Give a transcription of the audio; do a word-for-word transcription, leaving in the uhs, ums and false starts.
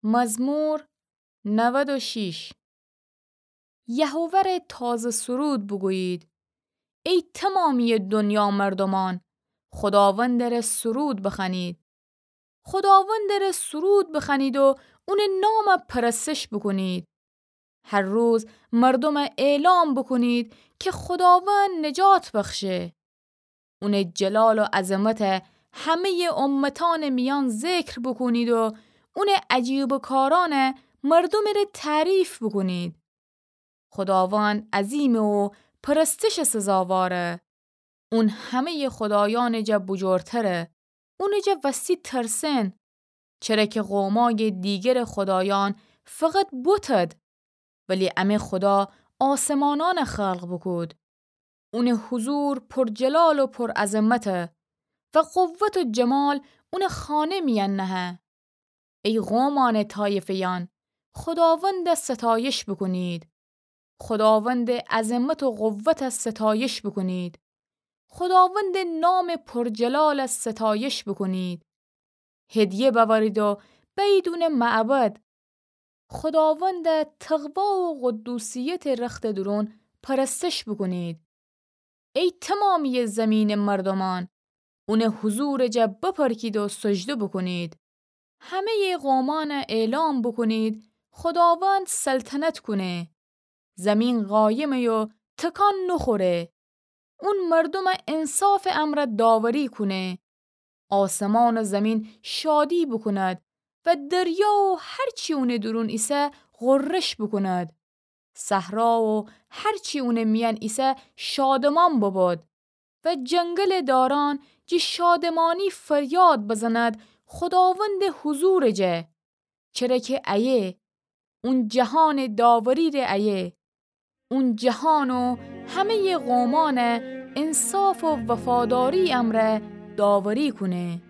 مزمور نود و شش. یهوه ره تازه سرود بوگویید. ای تمامی دنیا مردمان، خداوند ره سرود بخوانید. خداوند ره سرود بخوانید و اونٚ نام پرستش بوکونید. هر روز مردومه اعلام بوکونید که خداوند نجات بخشه. اونٚ جلال و عظمته همه‌یٚ امتأنٚ میأن ذکر بوکونید و اونٚ عجیبٚ کارأنه مردومٚ ره تعریف بوکونید. خداوند عظیمه و پرستشٚ سزاواره. اون همه‌یٚ خدایأنٚ جا بوجورتره. اونٚ جا وستی ترسن. چره که قومأیٚ دیگرٚ خدایأن فقط بتد، ولی امه خدا آسمانأنه خلق بوکود. اونٚ حضور پر جلال و پر عظمته و قوت و جمال اونٚ خانه میأن نهه. ای قومأنٚ طایفه‌یأن، خداوند ستایش بوکونید. خداوندٚ عظمت و قوته ستایش بوکونید. خداوندٚ نامٚ پر جلاله ستایش بوکونید. هدیه بأورید و بأیید اونٚ معبد. خداوند تقوا و قدوسیتٚ رختٚ دورون پرستش بوکونید. ای تمامی زمینٚ مردومأن، اونٚ حضورٚ جا بپرکید و سجده بوکونید. همه‌یٚ قومأنه اعلام بوکونید، خداوند سلطنت کونه. زمین قایمه و تکان نوخوره. اون مردومه انصافٚ امرأ داوری کونه. آسمان و زمین شادی بوکوند و دریا و هر چی اونٚ دورون ایسه غرش بوکوند. صحرا و هر چی اونٚ میأن ایسه شادمان ببود و جنگلٚ دارأن جٚه شادمانی فریاد بزند خداوندٚ حضورٚ جا. چره که ایه، اون جهانٚ داوری ره ایه. اون جهان و همه‌یٚ قومأنه انصاف و وفاداری امرأ داوری کونه.